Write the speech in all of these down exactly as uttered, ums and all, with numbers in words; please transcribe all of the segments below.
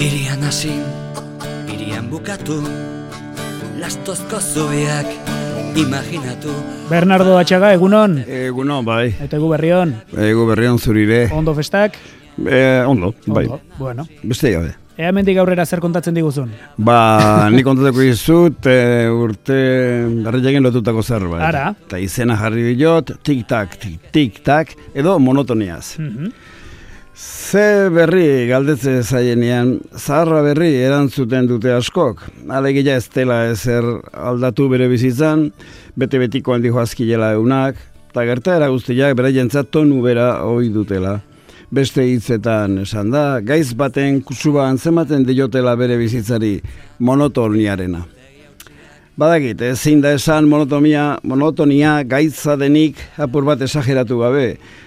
Irian hasi, irian bukatu, lastozko zubiak imaginatu. Bernardo Atxaga, egunon? Egunon, bai. Eta egu berrion? Egu berrion zurire. Ondo festak? E, ondo, bai. Ondo, bueno. Beste gabe. Ea mendik aurrera zer kontatzen diguzun? Ba, nik kontateko izut, e, urte berriagen lotutako zerbait. Ara. Eta izena jarri diot, tik-tak, tik-tak, edo monotoniaz. Mhm. Ze berri galdetze zaienean, zaharra berri erantzuten dute askok. Alegia ez dela ezer aldatu bere bizitzan, bete-betiko handi joazkilela eunak, eta gertaera guztiak bere jentzat tonu bera hoi dutela. Beste hitzetan esan da, gaiz baten kusuba antzematen diotela bere bizitzari monotoniarena. Badakit, ezin da esan monotonia, monotonia gaitza denik apur bat esageratu gabe,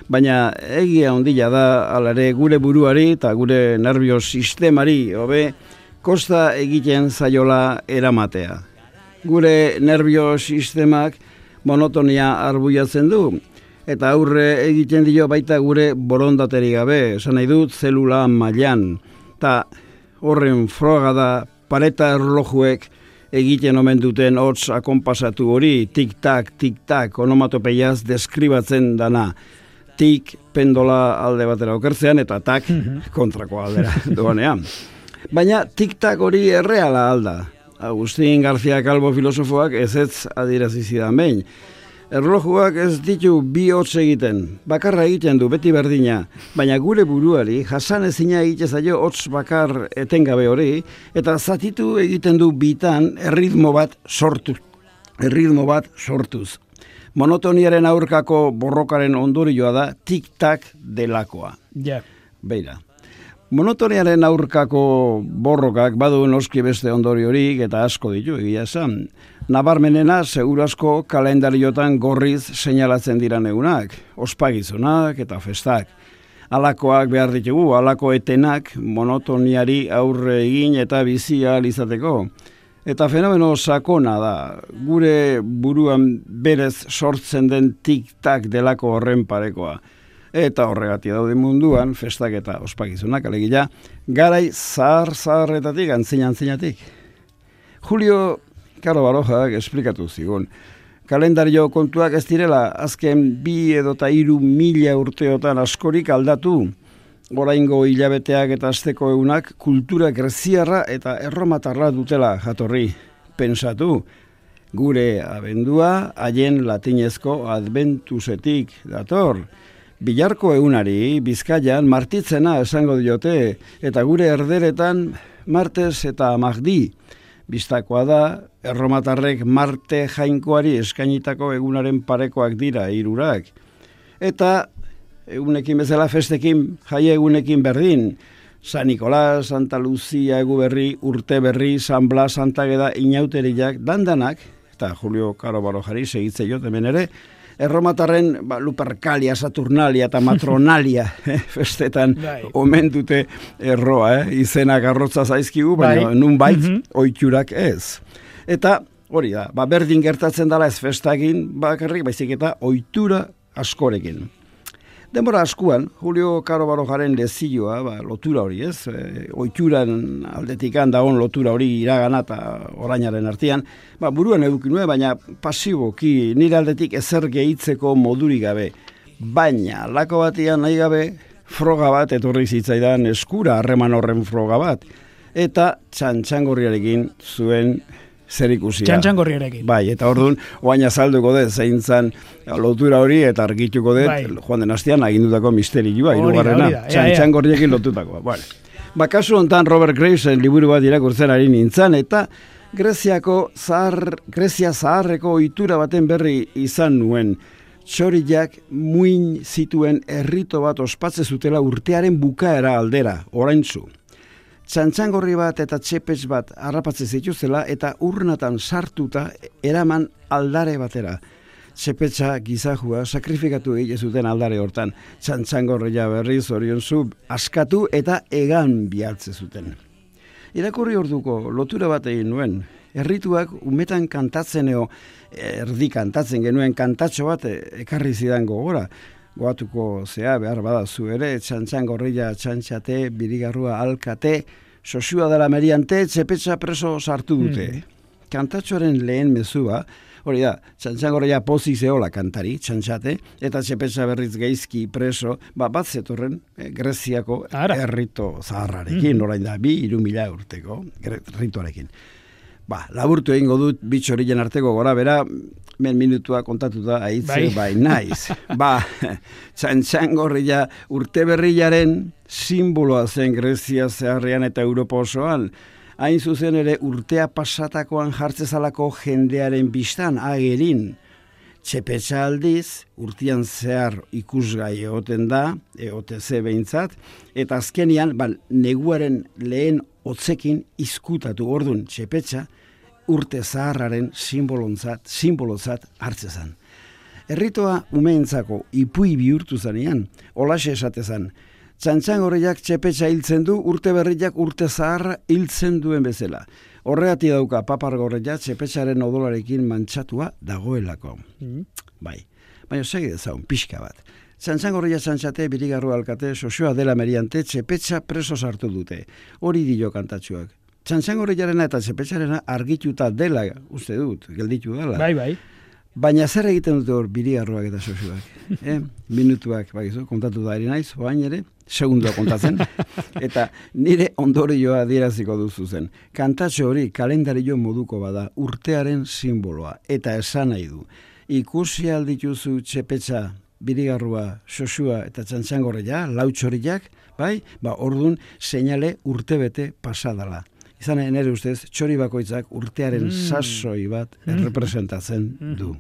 baina egia ondila da alare gure buruari eta gure nervio sistemari hobe kosta egiten zaiola eramatea. Gure nervio sistemak monotonia arbuiatzen du, eta aurre egiten dio baita gure borondateri gabe, esan nahi dut zelula mailan, eta horren froga da pareta erlojuek egiten omen duten hots akonpasatu hori, tik-tak, tik-tak, onomatopeiaz deskribatzen dana. Tik pendola alde batera okertzean eta tak kontrako aldera doanean. Baina tik-tak hori erreala alda. Agustín García Calvo filosofoak ez ez adierazi zidan behin. Erlojuak ez ditu bi hots egiten, bakarra egiten du beti berdina, baina gure buruari jasan ezina egite zaio hots bakar etengabe hori, eta zatitu egiten du bitan erritmo bat sortu, erritmo bat sortuz. Monotoniaren aurkako borrokaren ondorioa da tik-tak delakoa. Ja. Beira. Monotoniaren aurkako borrokak badu noski beste ondoriorik eta asko ditu egia esan. Nabarmenena segurazko kalendariotan gorriz seinalatzen dira egunak, ospagizunak eta festak. Alakoak behar ditugu, alako etenak monotoniari aurre egin eta bizia izateko. Eta fenomeno sakona da, gure buruan berez sortzen den tik-tak delako horren parekoa. Eta horregatik daude munduan, festak eta ospagizunak, alegia, garai zahar-zaharretatik, antzina-antzinatik. Julio Caro Barojak esplikatu zigun. Kalendario kontuak ez direla, azken bi edota hiru mila urteotan askorik aldatu. Oraingo hilabeteak eta asteko egunak kultura greziarra eta erromatarra dutela jatorri. Pentsatu, gure abendua haien latinezko adventusetik dator. Bilarko egunari Bizkaian martitzena esango diote, eta gure erderetan martes eta magdi. Bistakoa da, erromatarrek Marte jainkoari eskainitako egunaren parekoak dira hirurak. Eta egunekin bezala festekin, jaie egunekin berdin. San Nicolás, Santa Lucia, egu berri, urte berri, San Blas, Santa Geda, inauteriak, dandanak, eta Julio Caro Barojari segitze jot hemen ere, erromatarren ba, Lupercalia, Saturnalia eta Matronalia eh, festetan omen dute erroa, eh? Izenak arrotza zaizkigu, baina bai. Nun bait, mm-hmm. Oiturak ez. Eta hori da, ba, berdin gertatzen dela ez festagin bakarrik, baizik eta ohitura askorekin. Denbora askuan, Julio Caro Barojaren lezioa, ba, lotura hori ez, e, ohituran aldetikan dagoen lotura hori iragana eta orainaren artean, ba, buruan edukin nuen, baina pasiboki nire aldetik ezer gehitzeko modurik gabe. Baina, lako batian nahi gabe, froga bat etorri zitzaidan eskura, harreman horren froga bat, eta txantxangorriarekin zuen zer ikusia. Txantxangorriarekin. Bai, eta orduan, oain azalduko dut, zein zan lotura hori, eta argituko dut, bai. Joan den astean agindutako misterioa, hirugarrena, txantxangorriekin lotutakoa. Bueno, ba, kasu hontan Robert Gravesen liburu bat irakurtzen ari nintzen, eta Greziako zahar, Grezia zaharreko ohitura baten berri izan nuen. Txoriak muin zituen errito bat ospatze zutela urtearen bukaera aldera, oraintzu. Txantxangorri bat eta txepetx bat harrapatze zituzela eta urnatan sartuta eraman aldare batera. Txepetxa gizajua sakrifikatu egite zuten aldare hortan. Txantxangorria berriz orionzu askatu eta egan bihatze zuten. Irakurri orduko lotura bat egin nuen. Errituak umetan kantatzen eo, erdi kantatzen genuen kantatxo bat ekarri zidan gogora. Goatuko zea, behar badazu ere, txantxan gorrilla txantxate, birigarrua alkate, sosua dela meriante, txepetxa preso sartu dute. Mm. Kantatxoaren lehen mezua, hori da, txantxan gorrilla pozik zehola kantari, txantxate, eta txepetxa berriz geizki preso, ba, bat zetorren eh, Greziako Ara. errito zaharrarekin, mm. orain da, bi, iru mila urteko erritoarekin. Ba, laburtu egingo dut bitxorilen arteko gora bera, men minutua kontatuta aitze bai, bai naiz. Ba, txantxan gorrilla urte berrilaren simboloa zen Grezia zeharrean eta Europa osoan. Hain zuzen ere urtea pasatakoan jartzezalako jendearen bistan agerin. Txepetxa aldiz, urtean zehar ikusgai egoten da, egote ze behintzat, eta azkenian, ba, neguaren lehen otzekin izkutatu ordun txepetxa, urte zaharraren simbolontzat, simbolozat hartzezan. Erritoa umeentzako ipui bihurtu zanean, olaxe esatezan, txantxan gorriak txepetxa hiltzen du, urte berriak urte zaharra hiltzen duen bezala. Horregatik dauka papar gorria txepetxaren odolarekin mantxatua dagoelako. Mm. Bai, baina segi dezaun, pixka bat. Txantxan gorria txantxate, birigarru alkate, sosioa dela meriante, txepetxa preso sartu dute. Hori dio kantatxuak. Txantxan gorriarena eta txepetxarena argituta dela, uste dut, gelditu dela. Bai, bai. Baina zer egiten dute hor birigarruak eta sosioak? eh? Minutuak, bakizu, kontatu da eri naiz, oain ere, segundua kontatzen, eta nire ondorioa adieraziko duzu zen. Kantatxo hori kalendario moduko bada, urtearen simboloa, eta esan nahi du. Ikusi aldituzu txepetxa, birigarrua, sosua eta txantxangorria, lautxoriak, bai, ba, ordun seinale urtebete pasadala. Izan nire ustez, txori bakoitzak urtearen mm. sasoi bat mm. representatzen du.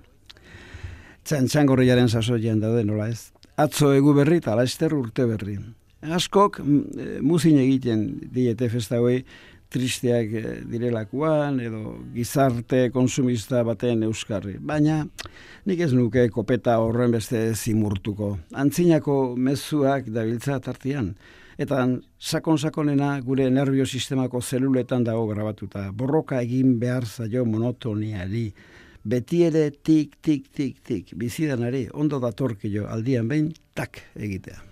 Txantxangorriaren sasoian daude, nola ez? Atzo egu berri eta laster urte berri. Askok muzin egiten diete festa hoi tristeak direlakuan edo gizarte konsumista baten euskarri. Baina nik ez nuke kopeta horren beste zimurtuko. Antzinako mezuak dabiltza tartian. Eta sakon-sakonena gure nerviosistemako zeluletan dago grabatuta. Borroka egin behar zaio monotoniari. Beti ere tik, tik, tik, tik. Bizidanari ondo datorkio aldian behin tak egitea.